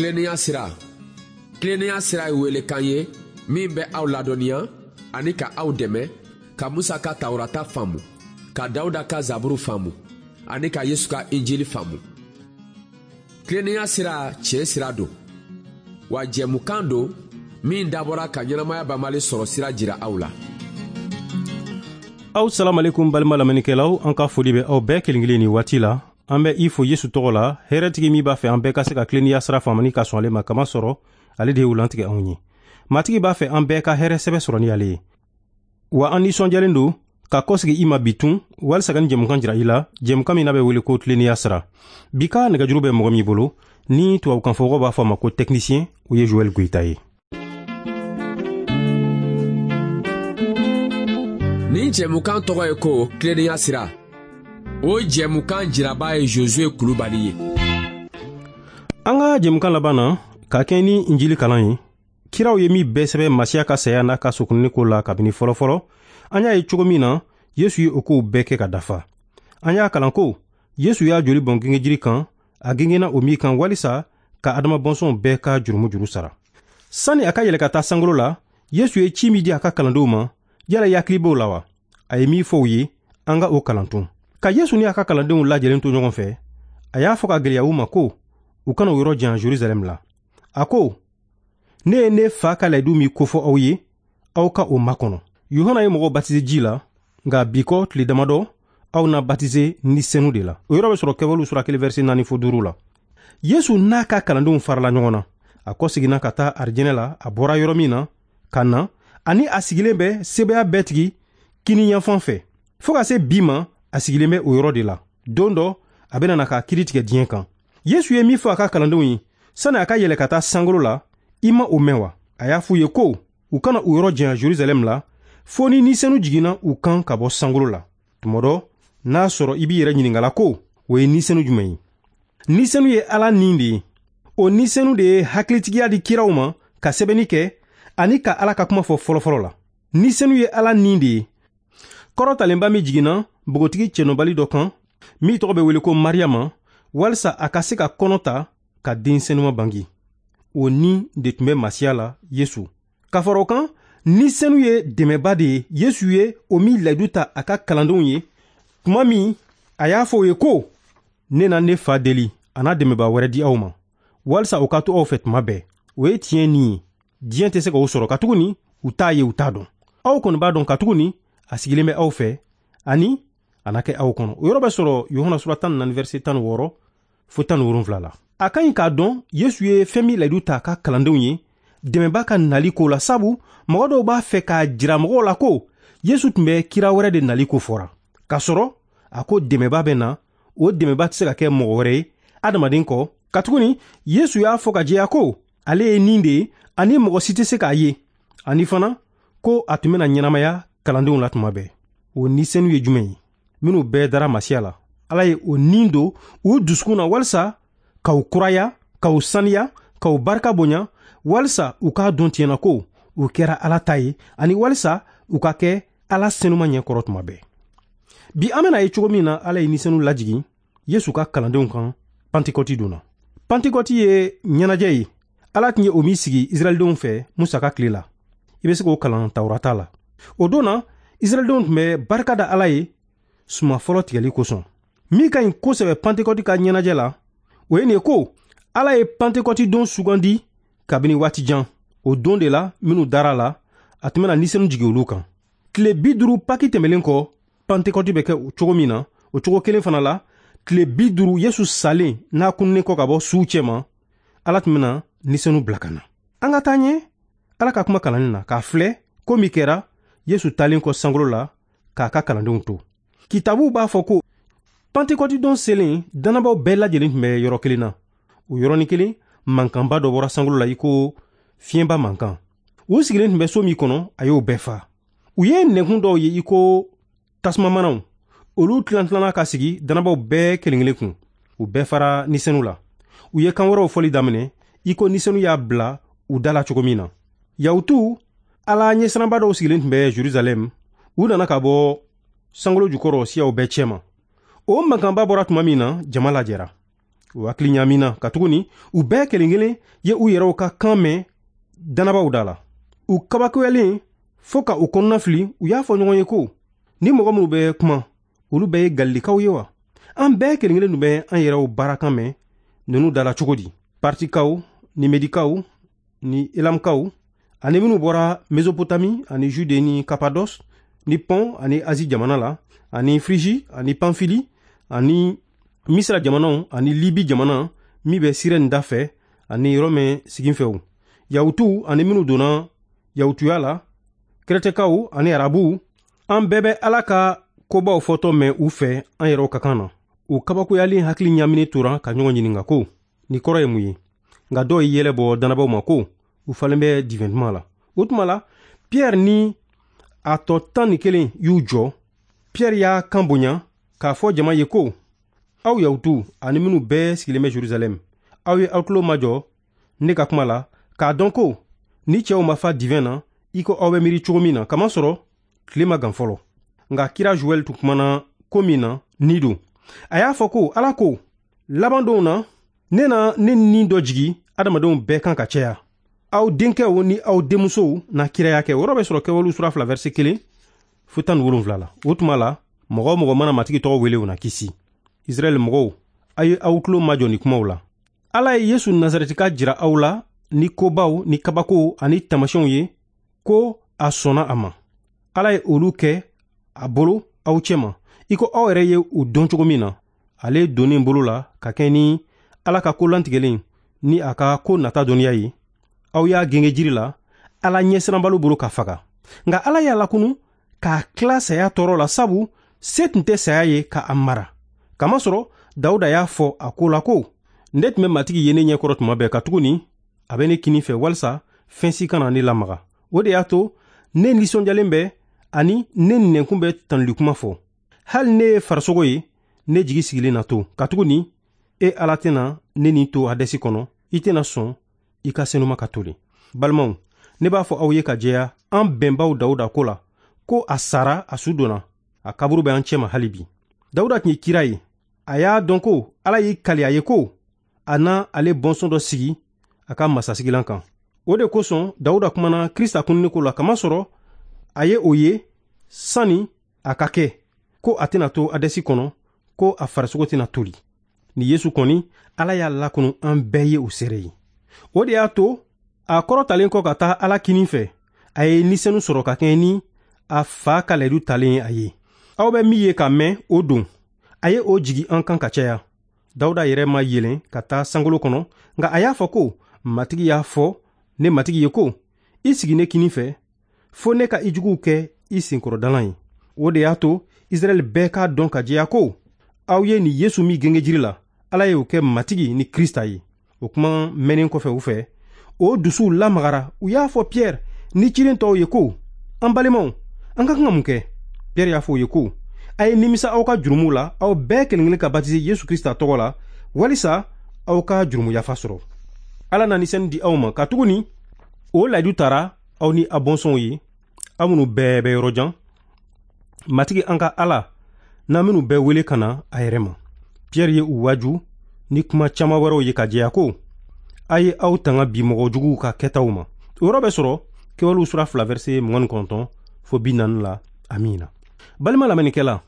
Tilennenya sira. Tilennenya sira ye welekan ye min bɛ aw ladɔnniya ani ka aw dɛmɛ ka Musa ka Tawurata faamu, ka Dawuda ka Zaburu faamu ani ka Yesu ka Injili faamu. Tilennenya sira tiɲɛ sira don, wa jɛmukan don min dabɔra ka ɲɛnamaya banbali sɔrɔ sira jira aw la. Aw salamalekum balima lamɛnnikɛlaw, an ka foli bɛ aw bɛɛ kelen kelen nin waati la. An bɛ i fo Yesu tɔgɔ la, hɛrɛtigi min b'a fɛ an bɛɛ ka se ka tilennenya sira faamu ni ka sɔn ale ma, kama sɔrɔ ale de ye u lantigɛ anw ye. Matigi b'a fɛ an bɛɛ ka hɛrɛ sɛbɛ sɔrɔ ni ale ye. Wa an nisɔndiyalen don ka kɔsegi i ma bi tun walisa ka nin jɛmukan jira i la, jɛmukan min n'a bɛ wele ko tilennenya sira. Bi ka nɛgɛjuru bɛ mɔgɔ min bolo ni tubabukanfɔmɔgɔw b'a fɔ a ma ko technicien, o ye Joël Goyita ye. Nin jɛmukan tɔgɔ ye ko tilennenya sira. O jɛmukan jiraba ye Josue Kulubali ye. An ka jɛmukan laban na, ka kɛ ni Injili kalan ye, kiraw ye min bɛɛ sɛbɛn Masiya ka saya n'a ka sokunni ko la kabini fɔlɔfɔlɔ, an y'a ye cogo min na Yesu ye o kow bɛɛ kɛ ka dafa. An y'a kalan ko Yesu y'a joli bɔn gengejiri kan, a gengenna o min kan walisa ka Adama bɔnsɔnw bɛɛ ka jurumu juru sara. Sani a ka yɛlɛ ka taa sankolo la, Yesu ye ci min di a ka kalandenw ma, yala i hakili b'o la wa? A ye min fɔ u ye, an ka o kalan tun. Ka Yesu ni a ka kalandenw lajɛlen to ɲɔgɔn fɛ, a y'a fɔ ka gɛlɛya u ma ko u kana o yɔrɔ jan Jerusalɛm la. A ko, ne ye ne fa ka layidu min kofɔ aw ye, aw ka o makɔnɔ. Yohana ye mɔgɔw batize ji la, nka bi kɔ tile damadɔ, aw na batize ni senu de la. O yɔrɔ bɛ sɔrɔ Kɛwalew sura 1 verset 4 fo 5 la. Yesu n'a ka kalandenw farala ɲɔgɔn na. A kɔseginna ka taa arijinɛ la, a bɔra yɔrɔ min na ka na, ani a sigilen bɛ sebaaya bɛɛ tigi kini yanfan fɛ. Fo ka se bi ma, a sigilen bɛ o yɔrɔ de la. Don dɔ, a bɛna na k'a kiiri tigɛ diɲɛ kan. Yesu ye min fɔ a ka kalandenw ye, sani a ka yɛlɛ ka taa sankolo la, i ma o mɛn wa? A y'a f'u ye ko u kana u yɔrɔ janya Jerusalɛm la, fo ni nisɛnu jiginna u kan ka bɔ sankolo la. Tuma dɔ, n'a sɔrɔ i b'i yɛrɛ ɲininkala ko o ye nisɛnu jumɛn ye? Nisɛnu ye Ala nin de ye. O nisɛnu de ye hakilitigiya di kiraw ma ka sɛbɛnni kɛ ani ka Ala ka kuma fɔ fɔlɔfɔlɔ la. Nisɛnu ye Ala nin de ye. Kɔrɔtalenba min jiginna npogotigi cɛnɔbali dɔ kan, min tɔgɔ bɛ wele ko Mariyama, walisa a ka se ka kɔnɔ ta ka den senuma bange. O ni de tun bɛ Masiya la, Yesu. Ka fara o kan, ni senu ye dɛmɛba de ye. Yesu ye o min layidu ta a ka kalandenw ye tuma min a y'a fɔ u ye ko, ne na ne fa deli, a n'a dɛmɛba wɛrɛ di aw ma, walisa o ka to aw fɛ tuma bɛɛ. O ye tiɲɛ ni ye. Diɲɛ tɛ se k'o sɔrɔ, katuguni u t'a ye, u t'a dɔn. Aw kɔni b'a dɔn, katuguni a sigilen bɛ aw fɛ ani a na kɛ aw kɔnɔ. O yɔrɔ bɛ sɔrɔ Yohana sura 14 verset 16 fo 17 la. A ka ɲi k'a dɔn Yesu ye fɛn min layidu ta a ka kalandenw ye dɛmɛba ka nali ko la, sabu mɔgɔ dɔw b'a fɛ k'a jira mɔgɔw la ko Yesu tun bɛ kira wɛrɛ de nali ko fɔra. K'a sɔrɔ a ko dɛmɛba bɛ na, o dɛmɛba tɛ se ka kɛ mɔgɔ wɛrɛ ye adamaden kɔ, katuguni Yesu y'a fɔ ka jɛya ko ale ye nin de ye ani mɔgɔ si tɛ se k'a ye, ani fana ko a tun bɛna ɲɛnamaya kalandenw la tuma bɛɛ. O ni senu ye jumɛn ye? Minnu bɛɛ dara Masiya la, Ala ye o nin don u dusukun na walisa k'aw kuraya, k'aw saniya, k'aw barika bonya, walisa u k'a dɔn tiɲɛ na ko u kɛra Ala ta ye, ani walisa u ka kɛ Ala senuma ɲɛkɔrɔ tuma bɛɛ. Bi an bɛna ye cogo min na Ala ye ni senu lajigin Yesu ka kalandenw kan Pantekɔti don na. Pantekɔti ye ɲɛnajɛ ye Ala tun ye o min sigi Israɛldenw fɛ Musa ka tile la. I bɛ se k'o kalan Tawurata la. O don na, Israɛldenw tun bɛ barika da Ala ye suman fɔlɔ tigɛli kosɔn. Min ka ɲi kosɛbɛ Pantekɔti ka ɲɛnajɛ la, o ye nin ye ko Ala ye Pantekɔti don sugandi kabini waati jan. O don de la, minnu dara la, a tun bɛna nisɛnu jigin olu kan. Tile 50 Paki tɛmɛlen kɔ, Pantekɔti bɛ kɛ o cogo min na, o cogo kelen fana la, tile 50 Yesu salen n'a kununnen kɔ ka bɔ suw cɛma, Ala tun bɛna nisɛnu bila ka na. An ka taa ɲɛ Ala ka kuma kalanni na k'a filɛ ko min kɛra Yesu taalen kɔ sankolo la k'a ka kalandenw to. Kitabuw b'a fɔ ko Pantekɔti don selen, dannabaw bɛɛ lajɛlen tun bɛ yɔrɔ kelen na. O yɔrɔnin kelen, mankanba dɔ bɔra sankolo la i ko fiɲɛba mankan. U sigilen tun bɛ so min kɔnɔ, a y'o bɛɛ fa. U ye nɛnkun dɔw ye i ko tasumamanaw. Olu tilan-tilanna ka sigi dannabaw bɛɛ kelen kelen kun. U bɛɛ fara nisɛnu la. U ye kan wɛrɛw fɔli daminɛ i ko nisɛnu y'a bila u da la cogo min na. Yahutuw, Ala ɲɛsiranba dɔw sigilen tun bɛ Jerusalɛm. U nana ka bɔ sankolo jukɔrɔ siyaw bɛɛ cɛma. O mankanba bɔra tuma min na, jama lajɛra. U hakili ɲaamina, katuguni u bɛɛ kelen kelen ye u yɛrɛw ka kan mɛn dannabaw da la. U kabakoyalen fɔɔ ka u kɔnɔna fili, u y'a fɔ ɲɔgɔn ye ko: Ni mɔgɔ minnu bɛ kuma, olu bɛɛ ye Galilekaw ye wa? An bɛɛ kelen kelen tun bɛ an yɛrɛw baarakan mɛn ninnu da la cogo di? Partikaw ni Medikaw ni Elamkaw ani minnu bɔra Mesopotami ani Jude ni Kapados ni Pɔn ani Azi jamana la ani Friji ani Panfili ani Misira jamanaw ani Libi jamana min bɛ Sirɛni da fɛ ani Rɔmɛ siginfɛw, Yahutuw ani minnu donna Yahutuya la, Kɛrɛtɛkaw ani Arabuw, an bɛɛ bɛ Ala ka kobaw fɔtɔ mɛn u fɛ an yɛrɛw ka kan na. U kabakoyalen hakili ɲaaminen tora ka ɲɔgɔn ɲininka ko: Nin kɔrɔ ye mun ye? Nka dɔw ye yɛlɛ bɔ dannabaw ma ko u falen bɛ divɛn duman la. O tuma la, Piyɛri ni a tɔ 11 y'u jɔ. Piyɛri y'a kan bonya k'a fɔ jama ye ko: Aw Yahutuw ani minnu bɛɛ sigilen bɛ Jerusalɛm, aw ye aw tulo majɔ ne ka kuma la k'a dɔn ko ni cɛw ma fa divɛn na i ko aw bɛ miiri cogo min na, kamasɔrɔ tile ma gan fɔlɔ. Nka kira Joɛl tun kumana ko min na ni don. A y'a fɔ ko Ala ko: Laban donw na, ne na ne ni dɔ jigi adamadenw bɛɛ kan ka caya. Aw denkɛw ni aw denmusow na kiraya kɛ. O yɔrɔ bɛ sɔrɔ Kɛwalew sura 2 verset 1 fo 17 la. O tuma la, mɔgɔ o mɔgɔ mana Matigi tɔgɔ wele, o na kisi. Israɛl mɔgɔw, a ye aw tulo majɔ nin kumaw la. Ala ye Yesu Nazarɛtika jira aw la ni kobaw ni kabakow ani taamasiyɛnw ye ko a sɔnna a ma. Ala ye olu kɛ a bolo aw cɛma, i ko aw yɛrɛ ye u dɔn cogo min na. Ale donnen bolo la ka kɛ ni Ala ka ko lantigɛlen ni a ka ko nata dɔnniya ye, aw y'a genge jiri la Ala ɲɛsiranbaliw bolo ka faga. Nka Ala y'a lakunu k'a tila saya tɔɔrɔ la, sabu se tun tɛ saya ye ka a mara. Kamasɔrɔ Dawuda y'a fɔ a ko la ko: Ne tun bɛ Matigi ye ne ɲɛkɔrɔ tuma bɛɛ, katuguni a bɛ ne kinin fɛ walisa fɛn si kana ne lamaga. O de y'a to ne nisɔndiyalen bɛ ani ne nɛnkun bɛ tanuli kuma fɔ. Hali ne ye farisogo ye, ne jigi sigilen na to, katuguni e Ala tɛna ne ni to Hadɛsi kɔnɔ, i tɛna sɔn i ka senuma ka toli. Balimaw, ne b'a fɔ aw ye ka jɛya an bɛnbaw Dawuda ko la ko a sara, a su donna, a kaburu bɛ an cɛma hali bi. Dawuda tun ye kira ye. A y'a dɔn ko Ala y'i kali a ye ko a na ale bɔnsɔn dɔ sigi a ka masasigilan kan. O de kosɔn Dawuda kumana Krista kununni ko la, kamasɔrɔ a ye o ye sani a ka kɛ ko a tɛna to Hadɛsi kɔnɔ, ko a farisogo tɛna toli. Ni Yesu kɔni, Ala y'a lakunu an bɛɛ ye o seere ye. O de y'a to a kɔrɔtalen kɔ ka taa Ala kinin fɛ, a ye nisɛnu sɔrɔ ka kɛɲɛ ni a fa ka layidu talen ye a ye. Aw bɛ min ye ka mɛn o don, a ye o jigi an kan ka caya. Dawuda yɛrɛ ma yɛlɛn ka taa sankolo kɔnɔ, nka a y'a fɔ ko: Matigi y'a fɔ ne Matigi ye ko: I sigi ne kinin fɛ fo ne ka i juguw kɛ i senkɔrɔdalan ye. O de y'a to Israɛl bɛɛ k'a dɔn ka jɛya ko aw ye nin Yesu min genge jiri la, Ala ye o kɛ Matigi ni Krista ye. O kuma mɛnnen kɔfɛ u fɛ, o dusuw lamagara. U y'a fɔ Piyɛri ni ciden tɔw ye ko: An balimaw, an ka kan ka mun kɛ? Piyɛri y'a fɔ u ye ko: A ye nimisa aw ka jurumuw la, aw bɛɛ kelen kelen ka batise Yesu Krista tɔgɔ la, walisa aw ka jurumu yafa sɔrɔ. Ala na nisɛni di aw ma, katuguni o layidu tara aw ni aw bɔnsɔnw ye, aw minnu bɛɛ bɛ yɔrɔ jan. Matigi an ka Ala n'a minnu bɛɛ wele ka na a yɛrɛ ma. Piyɛri ye u waaju ni kuma caman wɛrɛw ye ka jɛya ko: A ye aw tanga bi mɔgɔ juguw ka kɛtaw ma. O yɔrɔ bɛ sɔrɔ Kɛwalew sura 2 verset 29 fo 40 la. Amiina. Balima lamɛnnikɛla,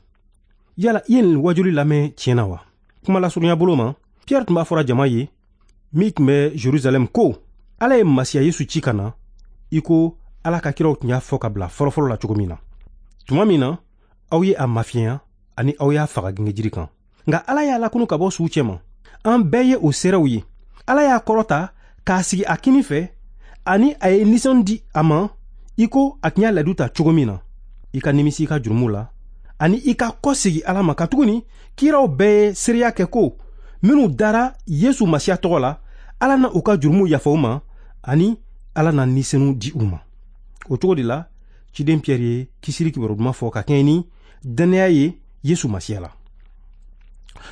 yala i ye nin wajuli lamɛn tiɲɛ na wa? Kuma lasurunya bolo ma, Piyɛri tun b'a fɔra jama ye min tun bɛ Jerusalɛm ko Ala ye Masiya Yesu ci ka na i ko Ala ka kiraw tun y'a fɔ ka bila fɔlɔfɔlɔ la cogo min na. Tuma min na aw ye a mafiɲɛya ani aw y'a faga gengejiri kan, nka Ala y'a lakunu ka bɔ suw cɛma. An bɛɛ ye o seerew ye. Ala y'a kɔrɔta k'a sigi a kinin fɛ ani a ye nisɔn di a ma i ko a tun y'a layidu ta cogo min na. I ka nimisi i ka jurumu la ani i ka kɔsegi Ala ma, katuguni kiraw bɛɛ ye seereya kɛ ko minnu dara Yesu Masiya tɔgɔ la, Ala na u ka jurumu yafa u ma ani Ala na nisɛnu di u ma. O cogo de la, ciden Piyɛri ye kisili kibaru duman fɔ ka kɛɲɛ ni dannaya ye Yesu Masiya la.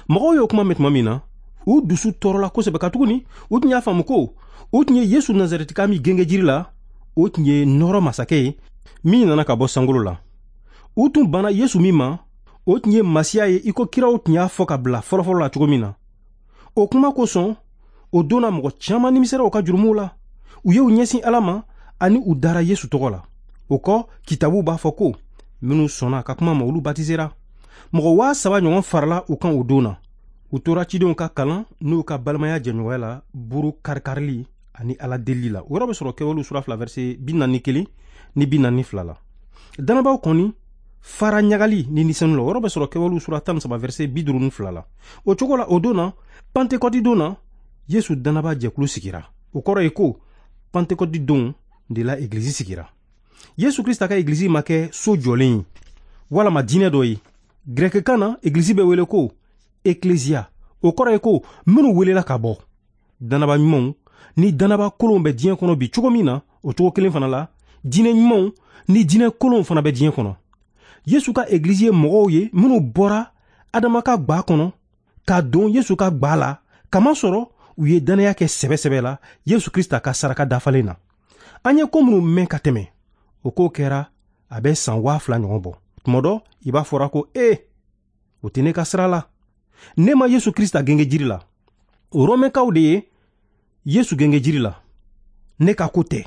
Mɔgɔw y'o kuma mɛn tuma min na, u dusu tɔɔrɔla kosɛbɛ, katuguni u tun y'a faamu ko u tun ye Yesu Nazarɛtika min genge jiri la, o tun ye nɔɔrɔ masakɛ ye min nana ka bɔ sankolo la. U tun banna Yesu min ma, o tun ye Masiya ye i ko kiraw tun y'a fɔ ka bila fɔlɔfɔlɔ la cogo min na. O kuma kosɔn, o don na mɔgɔ caman nimisera u ka jurumuw la. U ye u ɲɛsin Ala ma ani u dara Yesu tɔgɔ la. O kɔ, kitabu b'a fɔ ko minnu sɔnna a ka kuma ma, olu batisera. Mɔgɔ 3000 ɲɔgɔn farala u kan o don na. U tora cidenw ka kalan n'u ka balimaya jɛɲɔgɔnya la, buru karikarili ani Ala delili la. O yɔrɔ bɛ sɔrɔ Kɛwalew sura 2 verset 41 ni 42 la. Dannabaw kɔni fara ɲagali ni nisɔndiya la. O yɔrɔ bɛ sɔrɔ Kɛwalew sura 13 verset 52 la. O cogo la, o don na, Pantekɔti don na, Yesu dannaba jɛkulu sigira. O kɔrɔ ye ko Pantekɔti don de la egilizi sigira. Yesu Krista ka egilizi ma kɛ so jɔlen ye walama diinɛ dɔ ye. Gɛrɛkɛkan na, egilizi bɛ wele ko ekleziya. O kɔrɔ ye ko minnu welela ka bɔ. Dannaba ɲumanw ni dannaba kolonw bɛ diɲɛ kɔnɔ bi cogo min na, o cogo kelen fana la, diinɛ ɲumanw ni diinɛ kolonw fana bɛ diɲɛ kɔnɔ. Yesu ka egilizi ye mɔgɔw ye minnu bɔra Adama ka gwa kɔnɔ ka don Yesu ka gwa la, kamasɔrɔ u ye dannaya kɛ sɛbɛ-sɛbɛ la Yesu Krista ka saraka dafalen na. An ye ko minnu mɛn ka tɛmɛ, o ko kɛra a bɛ san 2000 ɲɔgɔn bɔ. Tuma dɔ, i b'a fɔra ko ee, o tɛ ne ka sira la. Ne ma Yesu Krista genge jiri la. O Romɛkaw de ye Yesu genge jiri la. Ne ka ko tɛ.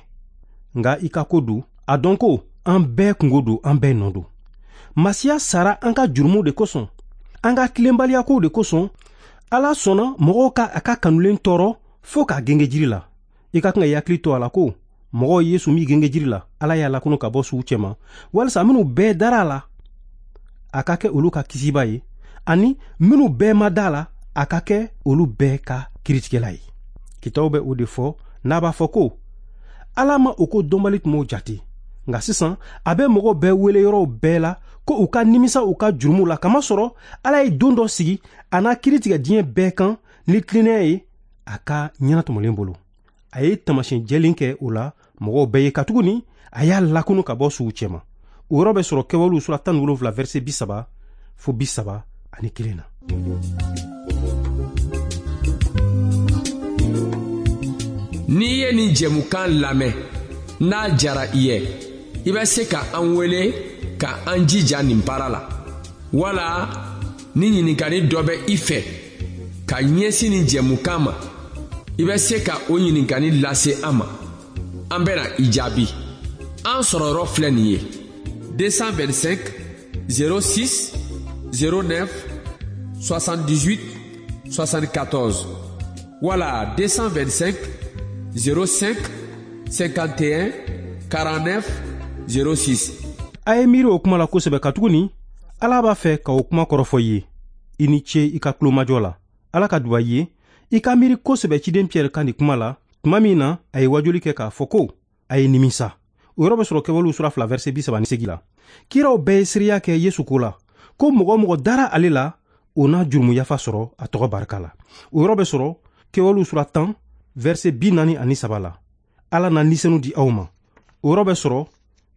Nka i ka ko don, a dɔn ko an bɛɛ kungo don, an bɛɛ nɔ don. Masiya sara an ka jurumuw de kosɔn, an ka tilenbaliyakow de kosɔn. Ala sɔnna mɔgɔw ka a ka kanulen tɔɔrɔ fo k'a genge jiri la. I ka kan ka i hakili to a la ko mɔgɔw ye Yesu min genge jiri la, Ala y'a lakunu ka bɔ suw cɛma, walisa minnu bɛɛ dara a la, a ka kɛ olu ka kisiba ye, ani minnu bɛɛ ma da a la, a ka kɛ olu bɛɛ ka kiritigɛla ye. Kitabu bɛ o de fɔ n'a b'a fɔ ko Ala ma o ko dɔnbali tun jate. Nka sisan a bɛ mɔgɔw bɛɛ wele yɔrɔw bɛɛ la ko u ka nimisa u ka jurumuw la, kamasɔrɔ Ala ye don dɔ sigi a n'a kiiri tigɛ diɲɛ bɛɛ kan ni tilennenya ye a ka ɲɛnatɔmɔlen bolo. A ye taamasiyɛn jɛlen kɛ o la mɔgɔw bɛɛ ye, katuguni a y'a lakunu ka bɔ suw cɛma. O yɔrɔ bɛ sɔrɔ Kɛwalew sura 17 verset 30 fo 31 na. N'i ye nin jɛmukan lamɛn, n'a jara i ye, i bɛ se ka an wele ka an jija nin baara la. Wala ni ɲininkali dɔ bɛ i fɛ ka ɲɛsin nin jɛmukan ma, i bɛ se ka o ɲininkali lase an ma. An bɛna i jaabi. An sɔrɔ yɔrɔ filɛ nin ye: 225 06 09 78 74 wala 225 05 51 49 06. A ye miiri o kuma la kosɛbɛ, katuguni Ala b'a fɛ ka o kuma kɔrɔfɔ i ye. I ni ce i ka tulomajɔ la. Ala ka duba i ye. I ka miiri kosɛbɛ ciden Piyɛri ka nin kuma la tuma min na a ye wajuli kɛ k'a fɔ ko a ye nimisa. O yɔrɔ bɛ sɔrɔ Kɛwalew sura 2 verset 38 la. Kiraw bɛɛ ye seereya kɛ Yesu ko la ko mɔgɔ o mɔgɔ dara ale la, o n'a jurumu yafa sɔrɔ a tɔgɔ barika la. O yɔrɔ bɛ sɔrɔ Kɛwalew sura 10 verset 43 la. Ala na nisɛnu di aw ma. O yɔrɔ bɛ sɔrɔ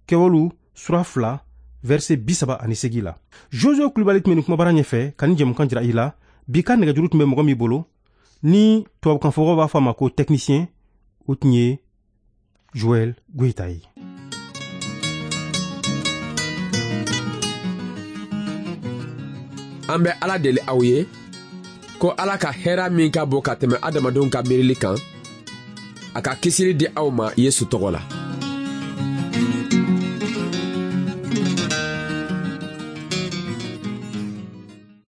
Kɛwalew sura 2 verset 38 la. Josue Kulibali tun bɛ nin kumabara ɲɛfɛ ka nin jɛmukan jira i la. Bi ka nɛgɛjuru tun bɛ mɔgɔ min bolo, ni tubabukanfɔbagaw b'a fɔ a ma ko technicien, o tun ye Joël Goïta ye. An bɛ Ala deli aw ye ko Ala ka hɛrɛ min ka bon ka tɛmɛ adamadenw ka miirili kan, a ka kisili di aw ma Yesu tɔgɔ la.